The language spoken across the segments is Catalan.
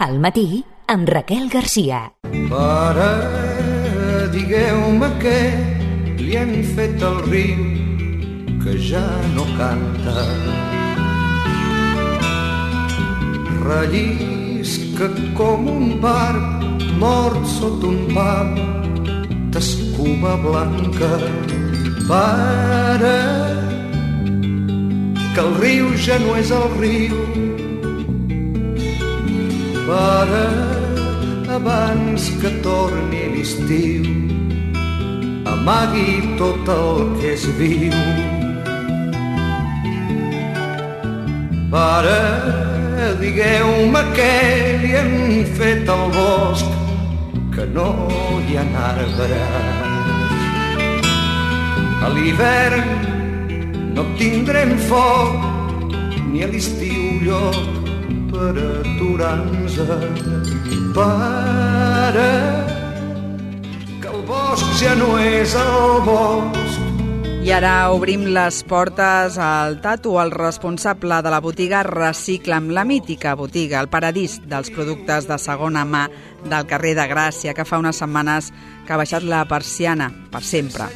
Al matí, amb Raquel Garcia. Pare, digueu-me què li han fet al riu que ja no canta. Rellisca com un barb mort sota un pam d'escuma blanca. Pare, que el riu ja no és el riu. Pare, abans que torni l'estiu, amagui tot el que és viu. Pare, digueu-me què li han fet al bosc, que no hi ha arbres. A l'hivern no tindrem foc, ni a l'estiu lloc per aturar-nos. Pare, que el bosc ja no és el bosc. I ara obrim les portes al Tato, el responsable de la botiga Recicla'm, la mítica botiga, el paradís dels productes de segona mà del carrer de Gràcia, que fa unes setmanes que ha baixat la persiana per sempre.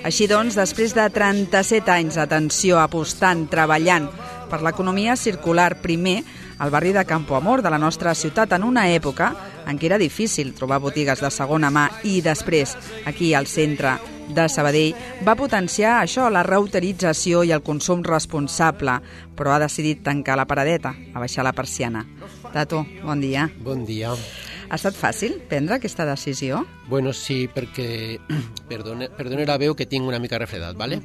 Així doncs, després de 37 anys d'atenció, apostant, treballant per l'economia circular, primer al barri de Campo Amor de la nostra ciutat, en una època en què era difícil trobar botigues de segona mà, i després, aquí al centre de Sabadell, va potenciar això, la reutilització i el consum responsable, però ha decidit tancar la paradeta, abaixar la persiana. Tato, bon dia. Bon dia. Ha estat fàcil prendre aquesta decisió? Bueno, sí, perquè, perdona la veu que tinc una mica refredat, ¿vale?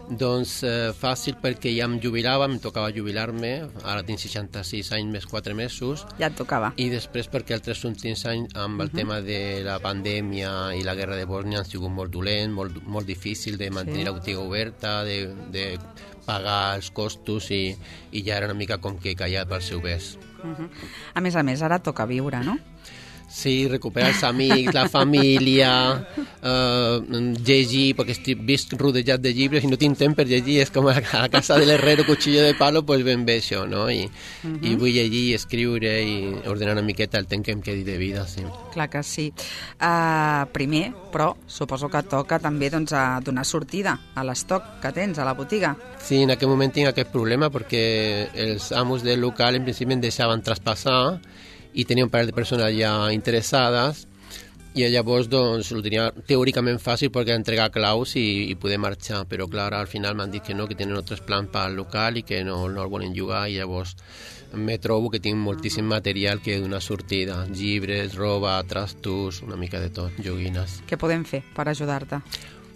Doncs fàcil perquè ja em jubilava, em tocava jubilar-me, ara tinc 66 anys més 4 mesos. Ja et tocava. I després perquè els 3 últims anys amb el tema de la pandèmia i la guerra de Bòsnia han sigut molt dolent, molt difícil de mantenir la botiga oberta, de pagar els costos, i ja era una mica com que callat pel seu bes. A més, ara toca viure, no? Sí, recuperar els amics, la família, llegir, perquè estic vist rodejat de llibres i no tinc temps per llegir, és com a casa de l'herrero, cuchillo de palo, doncs ben bé això, no? I vull llegir, escriure i ordenar una miqueta el temps que em quedi de vida, sí. Clar que sí. Primer, però, suposo que toca també a donar sortida a l'estoc que tens a la botiga. Sí, en aquell moment tinc aquest problema perquè els amos del local en principi em deixaven traspassar i tenia un parell de persones ja interessades, i llavors doncs ho tenia teòricament fàcil perquè entregar claus i poder marxar, però clar, al final m'han dit que no, que tenen altres plans pel local i que no el volen jugar, i llavors me trobo que tinc moltíssim material que donar sortida, llibres, roba, trastos, una mica de tot, joguines. Què podem fer per ajudar-te?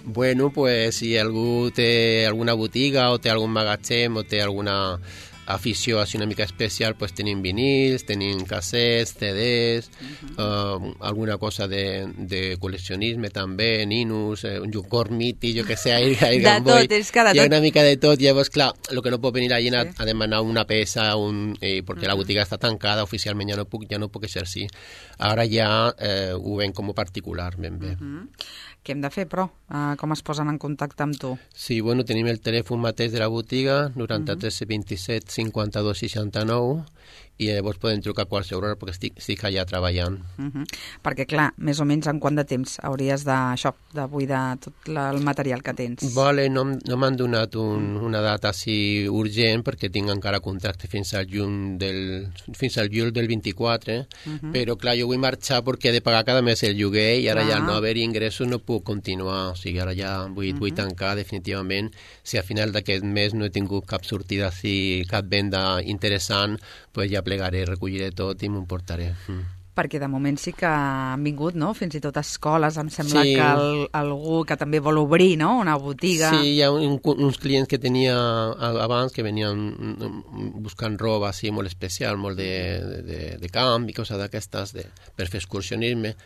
Bueno, pues si algú té alguna botiga o té algun magatzem o té alguna afició així una mica especial, pues tenim vinils, tenim cassets, CDs, alguna cosa de col·leccionisme també, ninos, un Gormiti, jo que sé, Air Boy, hi ha una mica de tot. Llavors, clar, el que no pot venir la gent a demanar una peça, perquè la botiga està tancada, oficialment ja no puc exercir. Ara ja ho ven com a particular, ben bé. Què hem de fer, però? Com es posen en contacte amb tu? Sí, bueno, tenim el telèfon mateix de la botiga, 93 27 52 69, i llavors podem trucar a qualsevol hora perquè estic allà treballant. Perquè, clar, més o menys en quant de temps hauries de buidar tot el material que tens? Vale, no m'han donat una data així urgent perquè tinc encara contracte fins al juny del 24, però clar, jo vull marxar perquè he de pagar cada mes el lloguer i ara ja al no haver ingressos no puc continuar, o sigui, ara ja vull tancar definitivament. Si al final d'aquest mes no he tingut cap sortida així, cap venda interessant, pues ja plegaré, recolliré tot i m'ho portaré. Perquè de moment sí que han vingut, no? Fins i tot escoles, em sembla que algú que també vol obrir, no? Una botiga. Sí, hi ha uns clients que tenia abans que venien buscant roba així molt especial, molt de camp i coses d'aquestes per fer excursionisme.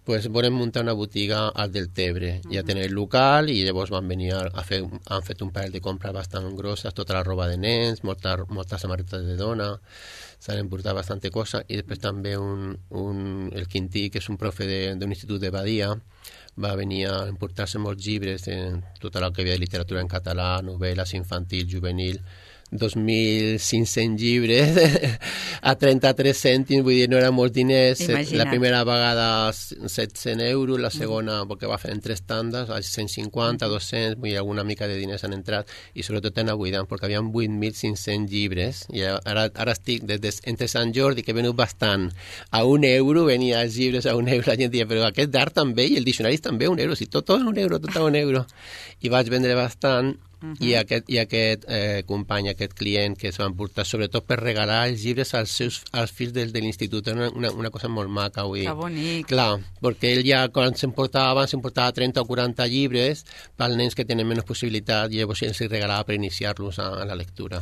Pues volem muntar una botiga al Deltebre. Ja tenen el local i llavors van venir han fet un parell de compres bastant grosses, tota la roba de nens, moltes samarretes de dona, s'han emportat bastante cosa, i després també el Quintí, que és un profe d'un institut de Badia, va venir a emportar-se molts llibres, tot el que havia de literatura en català, novel·les infantil, juvenil, 2.500 llibres a 33 cèntims, vull dir, no eren molts diners. Imagina't. La primera vegada 700 euros, la segona, perquè va fer en 3 tandes, a 150, 200, vull dir, alguna mica de diners han entrat, i sobretot en buidant, perquè havia 8.500 llibres, i ara estic, entre Sant Jordi, que he venut bastant, a €1, venia els llibres a €1, la gent deia, però aquest d'art també, i el diccionari també a €1, si tot a €1, tot a €1, i vaig vendre bastant. I aquest company, aquest client que es va emportar sobretot per regalar els llibres als fills de l'institut, era una cosa molt maca, vull dir. Que bonic. Clar, perquè ell ja quan s'emportava 30 o 40 llibres pels nens que tenen menys possibilitat, i llavors els regalava per iniciar-los a la lectura.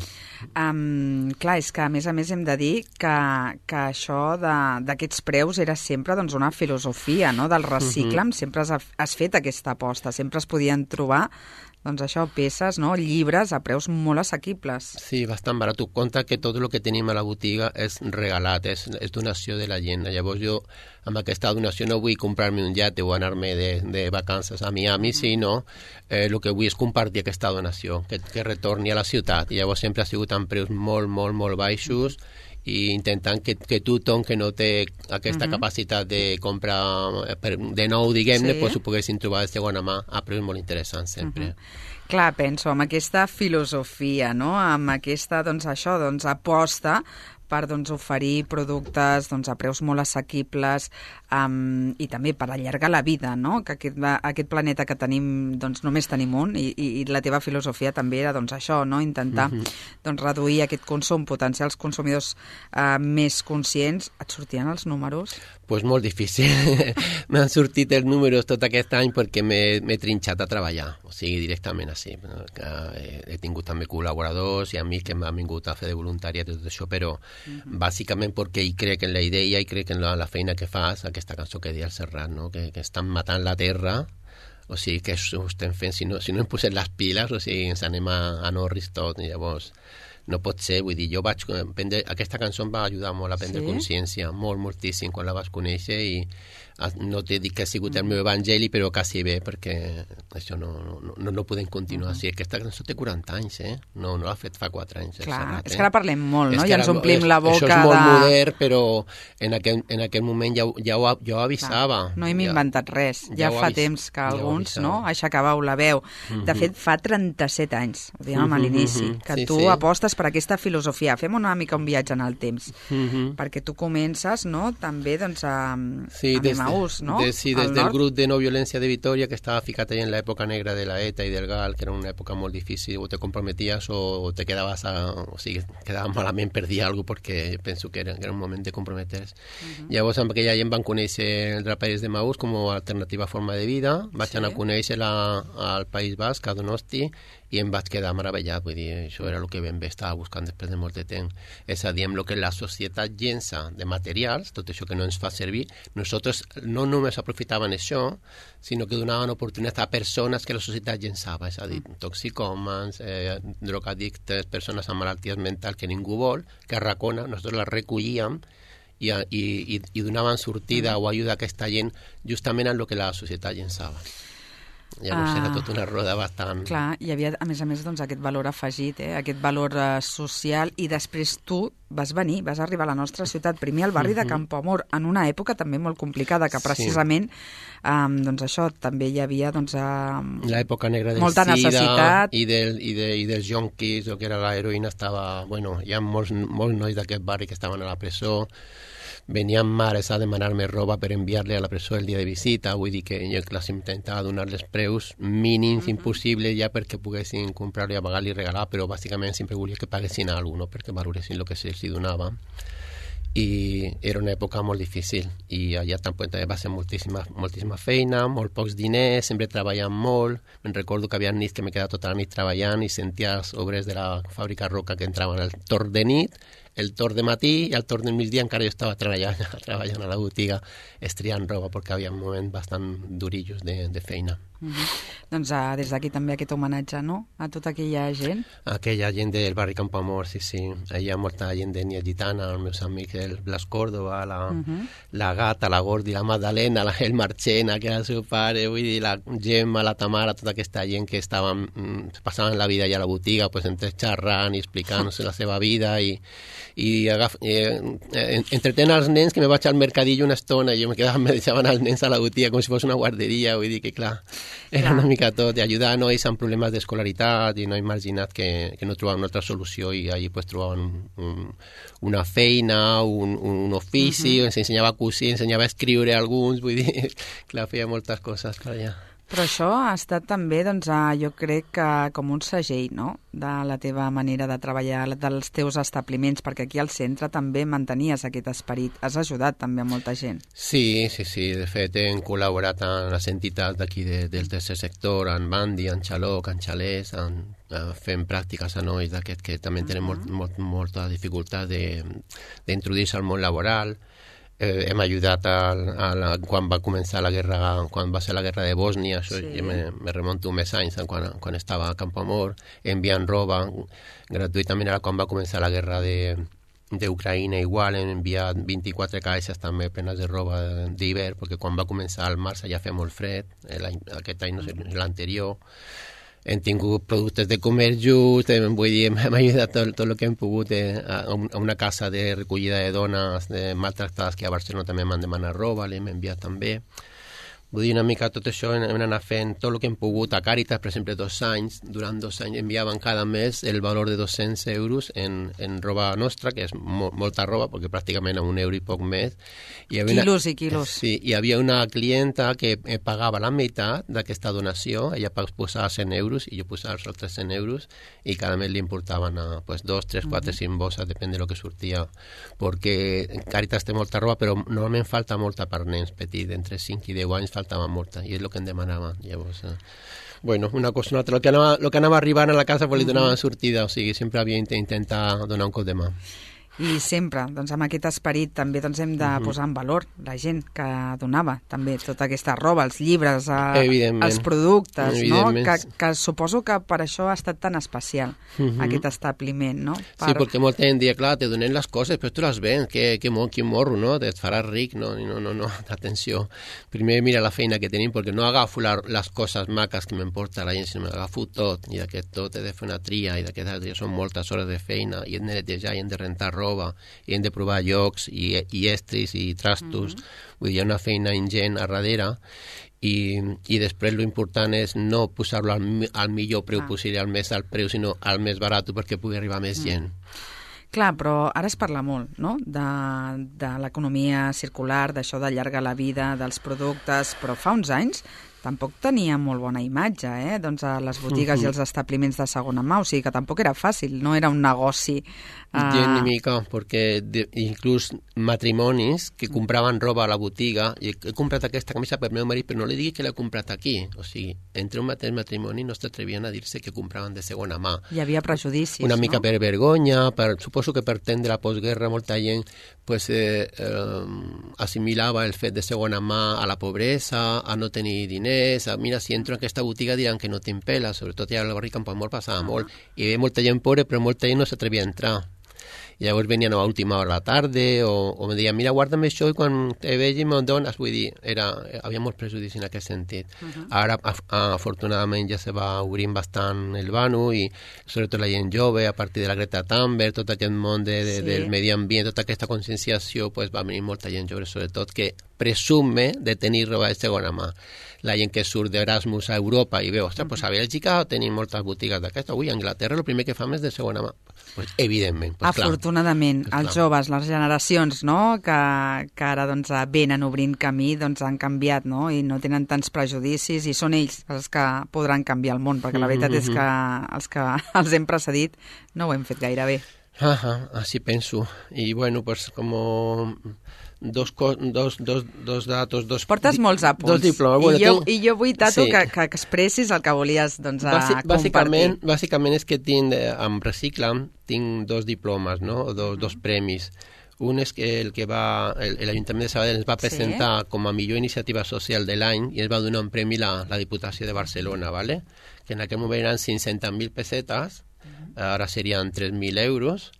Clar, és que a més hem de dir que això d'aquests preus era sempre doncs, una filosofia, no?, del reciclam, sempre has fet aquesta aposta, sempre es podien trobar doncs això, peces, no?, llibres a preus molt assequibles. Sí, bastant barat. Tu compta que tot el que tenim a la botiga és regalat, és donació de la gent. Llavors jo, amb aquesta donació, no vull comprar-me un iate o anar-me de vacances a Miami, sinó el que vull és compartir aquesta donació, que retorni a la ciutat. I llavors sempre ha sigut amb preus molt, molt, molt baixos, i intentant que tothom que no té aquesta capacitat de comprar de nou, diguem-ne, pues ho poguessin trobar de segona mà a preus molt interessants sempre. Clar, penso, amb aquesta filosofia, no?, amb aquesta, doncs això, doncs aposta per oferir productes a preus molt assequibles i també per allargar la vida, no?, que aquest planeta que tenim, només tenim un, i la teva filosofia també era això, no?, intentar reduir aquest consum, potenciar els consumidors més conscients. Et sortien els números? Pues molt difícil. M'han sortit els números tot aquest any perquè m'he trinxat a treballar, o sigui, directament així. He tingut també col·laboradors i amics que m'han vingut a fer de voluntariat i tot això, però bàsicament perquè hi crec en la idea i crec en la feina que fas, aquesta cançó que deia el Serrat, no?, que estan matant la terra, o sigui, que ho estem fent, si no hem posat les piles, o sigui, ens anem a Norris tot, i llavors no pot ser, vull dir, jo vaig prendre, aquesta cançó em va ajudar molt a prendre consciència, moltíssim, quan la vas conèixer, i no t'he dit que ha sigut el meu evangeli, però quasi bé, perquè això no podem continuar així. Aquesta cançó té 40 anys, no l'ha fet fa 4 anys. Clar, és que ara parlem molt, no?, i ens omplim la boca de... Això és molt modern, però en aquell moment ja ho avisava. No hem inventat res, ja fa temps que alguns aixecàveu la veu. De fet, fa 37 anys, ho dèiem a l'inici, que tu apostes per aquesta filosofia. Fem una mica un viatge en el temps, perquè tu comences, no?, també a Emaús, no? Sí, des del grup de no violència de Vitòria, que estava ficat allà en l'època negra de la ETA i del GAL, que era una època molt difícil, o te comprometies o te quedaves o sigui, quedaves malament per dir alguna cosa, perquè penso que era un moment de comprometers. Llavors, amb aquella gent van conèixer el Draperis d'Emaús com a alternativa forma de vida, vaig anar a conèixer-la al País Basc, a Donosti, i em vaig quedar meravellat, vull dir, això era el que ben bé estava buscant després de molt de temps. És a dir, amb el que la societat llença de materials, tot això que no ens fa servir, nosaltres no només aprofitaven això, sinó que donaven oportunitat a persones que la societat llençava, és a dir, toxicòmans, drogadictes, persones amb malalties mentals que ningú vol, que arracona, nosaltres les recollíem i donaven sortida o ajuda a aquesta gent justament en el que la societat llençava. Llavors era tota una roda bastant... Clar, hi havia, a més, aquest valor afegit, aquest valor social, i després tu vas arribar a la nostra ciutat, primer al barri de Campoamor, en una època també molt complicada, que precisament, això, també hi havia, l'època negra del molta necessitat. I dels jonquis, o que era l'heroïna, estava... Bueno, hi ha molts nois d'aquest barri que estaven a la presó, venien mares a demanar-me roba per enviar-li a la presó el dia de visita, vull dir que jo les intentava donar-les preus mínims, impossibles, ja perquè poguessin comprar-li, pagar-li i regalar, però bàsicament sempre volia que paguessin alguna cosa, perquè valoressin el que se'ls donava. I era una època molt difícil, i allà també va ser moltíssima feina, molt pocs diners, sempre treballant molt. Me'n recordo que havia nits que m'he quedat tota la nit treballant i sentia els obrers de la fàbrica Roca que entraven al torn de nit, el torn de matí i el torn del migdia encara jo estava treballant a la botiga estriant roba perquè havia un moment bastant durillos de feina. Doncs des d'aquí també aquest homenatge, no?, a tota aquella gent. Aquella gent del barri Campoamor, sí. Hi ha molta gent de Nia Gitana, els meus amics, el Blas Córdoba, la Gata, la Gordi, la Magdalena, el Marchena, que era el seu pare, vull dir, la Gemma, la Tamara, tota aquesta gent que passaven la vida allà a la botiga, pues, entre xerrant i explicant-nos la seva vida i entretenen els nens, que me vaig al mercadillo una estona i jo me deixaven els nens a la botiga com si fos una guarderia, vull dir que clar, era una mica tot, d'ajudar a nois amb problemes d'escolaritat i nois marginats que no trobaven una altra solució i allí pues trobaven una feina, un ofici, ens ensenyava a cosir, ensenyava a escriure alguns, vull dir, clar, feia moltes coses per allà. Però això ha estat també, doncs, jo crec que com un segell, no?, de la teva manera de treballar, dels teus establiments, perquè aquí al centre també mantenies aquest esperit. Has ajudat també a molta gent. Sí. De fet, hem col·laborat amb les entitats d'aquí del tercer sector, en Bandi, en Xaloc, en Xalès, fent pràctiques a nois d'aquest que també tenen molta dificultat d'introduir-se al món laboral. Hem ajudat quan va començar la guerra, quan va ser la guerra de Bòsnia, això sí. Me remonto més anys quan estava a Campoamor, enviant roba gratuïtament. Ara quan va començar la guerra d'Ucraïna igual, hem enviat 24 caixes també plenes de roba d'hivern, perquè quan va començar al març ja feia molt fred, aquest any no sé, l'anterior. Hem tingut productes de comerç just, vull dir, hem ajudat tot el que hem pogut a una casa de recollida de dones maltractades que a Barcelona també m'han demanat roba, l'hem enviat també. Vull dir, una mica tot això hem anat fent tot el que hem pogut. A Càritas, per exemple, durant 2 anys enviaven cada mes el valor de 200 euros en roba nostra, que és molta roba, perquè pràcticament a €1 i poc més. Quilos i quilos. Sí, hi havia una clienta que pagava la meitat d'aquesta donació, ella posava 100 euros i jo posava els altres 100 euros i cada mes li importaven 2, 3, 4, 5 bosses, depèn de lo que sortia, perquè Càritas té molta roba, però normalment falta molta per nens petits, entre 5 i 10 anys faltava molta, i és el que em demanaven. Llavors, bueno, una cosa o una altra. El que anava arribant a la casa pues, li donaven sortida, o sigui, sempre havia d'intentar donar un cop de mà. I sempre, doncs, amb aquest esperit també doncs, hem de posar en valor la gent que donava també tota aquesta roba, els llibres, els productes, no? Que suposo que per això ha estat tan especial aquest establiment, no? Sí, perquè molta gent dia, clar, te donen les coses, però tu les vens, quin morro, no? Et faràs ric, no, atenció. Primer mira la feina que tenim, perquè no agafo les coses maques que m'emporta la gent, sinó m'agafo tot, i d'aquest tot he de fer una tria, i d'aquest són moltes hores de feina, i hem de netejar, i hem de rentar roba, i hem de provar llocs i estris i trastos, vull dir, hi ha una feina ingent a darrere i després l'important és no posar-lo al millor preu possible, al més alt preu, sinó al més barat perquè pugui arribar més gent. Clar, però ara es parla molt, no?, de l'economia circular, d'això d'allargar la vida dels productes, però fa uns anys tampoc tenia molt bona imatge, doncs a les botigues i els establiments de segona mà, o sigui que tampoc era fàcil, no era un negoci. Ni mica, perquè inclús matrimonis que compraven roba a la botiga, i he comprat aquesta camisa per meu marit, però no li digui que l'he comprat aquí, o sigui, entre un mateix matrimoni no s'atrevien a dir-se que compraven de segona mà. Hi havia prejudicis, una mica per vergonya, suposo que per temps de la postguerra molta gent pues, assimilava el fet de segona mà a la pobresa, a no tenir diners, mira, si entro en aquesta botiga diran que no tinc pela, sobretot ja al barri Campoamor passava molt, i hi havia molta gent pobra, però molta gent no s'atrevia a entrar. I llavors venien a última hora de la tarda o me deien, mira, guarda'm això i quan te vegi me'n dones. Vull dir, havia molt prejudici en aquest sentit. Ara, afortunadament, ja se va obrint bastant el vano i sobretot la gent jove, a partir de la Greta Thunberg, tot aquest món del medi ambient, tota aquesta conscienciació, pues, va venir molta gent jove, sobretot, que presume de tenir roba de segona mà. La gent que surt d'Erasmus a Europa i veu, ostres, pues a Bèlgica tenim moltes botigues d'aquesta, a Anglaterra el primer que fem és de segona mà. Pues, evidentment. Pues, afortunadament, els joves, les generacions, no?, que ara doncs, venen obrint camí, doncs, han canviat, no?, i no tenen tants prejudicis, i són ells els que podran canviar el món, perquè la veritat és que els que els hem precedit no ho hem fet gaire bé. Así penso. Y bueno, pues como dos datos, Portes molts apunts. Dos diplomes. Bueno, I jo vull, Tato, sí, que expressis el que volies compartir. Bàsicament és que amb Reciclam tinc dos diplomes, no? Dos premis. Un és que l'Ajuntament de Sabadell ens va presentar com a millor iniciativa social de l'any i ens va donar un premi la Diputació de Barcelona, ¿vale? Que en aquell moment eren 500.000 pessetes, ara serien 3.000 euros,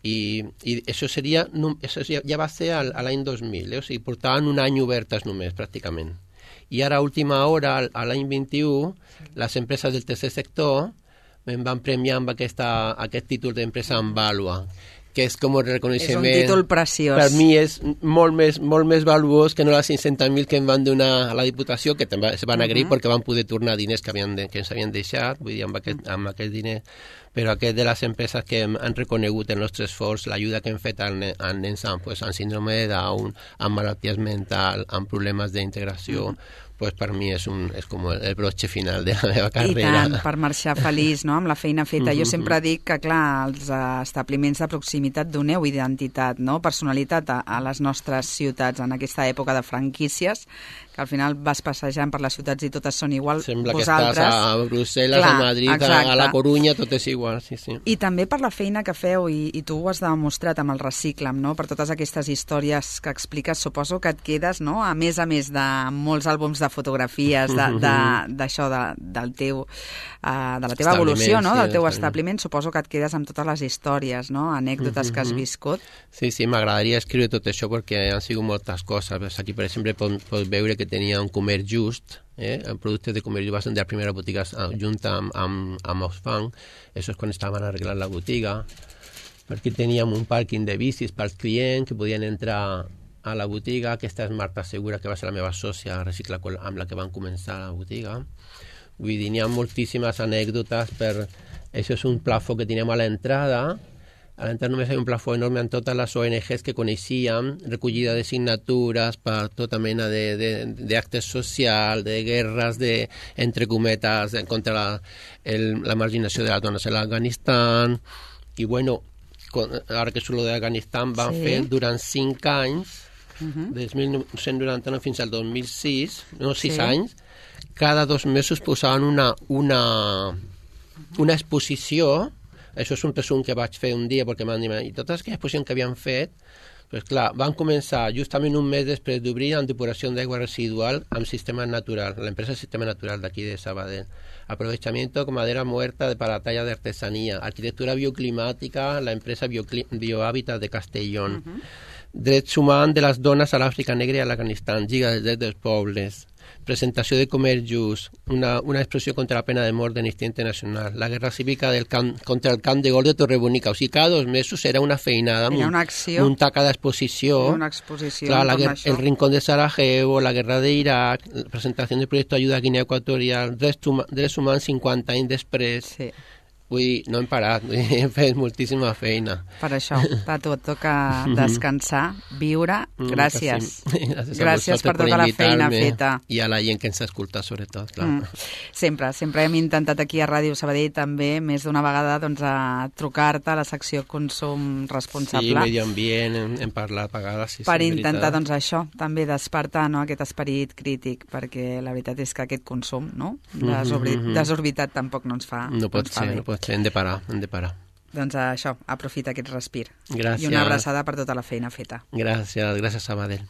i això ja va ser a l'any 2000, o sigui, portaven un any obertes només, pràcticament. I ara, a última hora, a l'any 21, les empreses del tercer sector em van premiar amb aquest títol d'empresa en vàlua, que és com el reconeixement... És un títol preciós. Per mi és molt més valuós que no les 500.000 que em van donar a la Diputació, que també es van agrair perquè van poder tornar diners que ens havien deixat, vull dir, amb aquest diner. Però aquest de les empreses que han reconegut el nostre esforç, l'ajuda que hem fet als nens amb síndrome de Down, amb malalties mentals, amb problemes d'integració, pues per mi és com el broche final de la meva carrera. I tant, per marxar feliç, no?, amb la feina feta. Jo sempre dic que, clar, els establiments de proximitat doneu identitat, no?, personalitat a les nostres ciutats en aquesta època de franquícies, que al final vas passejant per les ciutats i totes són igual. Sembla vosaltres... que estàs a Brussel·les, a Madrid, a la Corunya, tot és igual, sí. I també per la feina que feu, i tu ho has demostrat amb el Reciclam, no?, per totes aquestes històries que expliques, suposo que et quedes, no?, a més de molts àlbums de fotografies, d'això, de la teva evolució, no?, del teu establiment, suposo que et quedes amb totes les històries, no?, anècdotes que has viscut. Sí, m'agradaria escriure tot això perquè han sigut moltes coses. Aquí, per exemple, pots veure que tenia un comerç just, productes de comerç just, de la primera botiga junta amb Oxfam. Això és quan estaven arreglant la botiga. Perquè teníem un pàrquing de bicis pels clients que podien entrar a la botiga. Aquesta és Marta Segura, que va ser la meva sòcia Recicla, amb la que van començar la botiga. Vull dir, n'hi ha moltíssimes anècdotes. Això és un plafó que teníem a l'entrada. A l'entrada només hi ha un plafó enorme amb totes les ONGs que coneixíem, recollida de signatures per tota mena d'actes socials, de guerres, entre cometes, contra la marginació de les dones a l'Afganistan. I, bueno, ara que surt d'Afganistan, van fer durant 5 anys, des 1999 fins al 2006, 6 anys, cada 2 mesos posaven una exposició. Això és un resum que vaig fer un dia perquè m'han dit, i totes aquelles exposicions que havien fet, pues clar, van començar justament un mes després d'obrir amb depuració d'aigua residual amb Sistema Natural, l'empresa Sistema Natural d'aquí de Sabadell. Aprovechamiento con madera muerta para talla de artesanía, arquitectura bioclimática, la empresa Biohàbitat de Castellón, drets humans de les dones a l'Àfrica Negra i a l'Afganistan, Lliga dels Drets dels Pobles, presentació de comerç just, una expressió contra la pena de mort d'Amnistia Internacional, la guerra cívica contra el camp de gol de Torrebonica. O sigui, cada 2 mesos era una feinada, una acció, muntar cada exposició. Una exposició. Clar, el Rincón de Sarajevo, la guerra d'Iraq, presentació del projecte d'Ajuda a Guinea Equatorial, drets humans 50 anys després. Sí. Vull dir, no hem parat, hem fet moltíssima feina. Per això, Tato, et toca descansar, viure. Gràcies. Gràcies per tota la feina feta. I a la gent que ens escolta, sobretot, clar. Sempre hem intentat aquí a Ràdio Sabadell també, més d'una vegada, doncs, a trucar-te a la secció Consum Responsable. Sí, medi ambient, hem parlat a vegades. Per intentar, doncs, això, també despertar, no?, aquest esperit crític, perquè la veritat és que aquest consum, no?, desorbitat tampoc no ens fa bé. No pot ser. Hem de parar. Doncs això, aprofita aquest respir. Gràcies. I una abraçada per tota la feina feta. Gràcies, Sabadell.